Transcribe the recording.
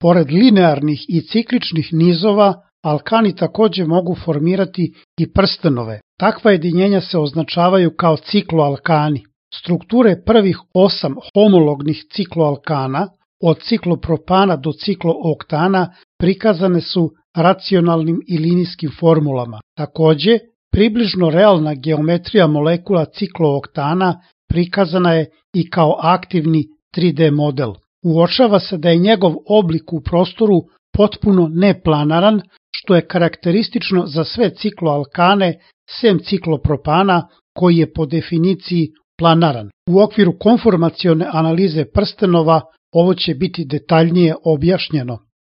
Pored linearnih i cikličnih nizova, alkani takođe mogu formirati i prstenove. Takva jedinjenja se označavaju kao cikloalkani. Strukture prvih 8 homolognih cikloalkana, od ciklopropana do ciklooktana, prikazane su racionalnim i linijskim formulama. Takođe, približno realna geometrija molekula ciklooktana prikazana je i kao aktivni 3D model. Uočava se da je njegov oblik u prostoru potpuno neplanaran, što je karakteristično za sve cikloalkane sem ciklopropana, koji je po definiciji planaran. U okviru konformacione analize prstenova ovo će biti detaljnije objašnjeno.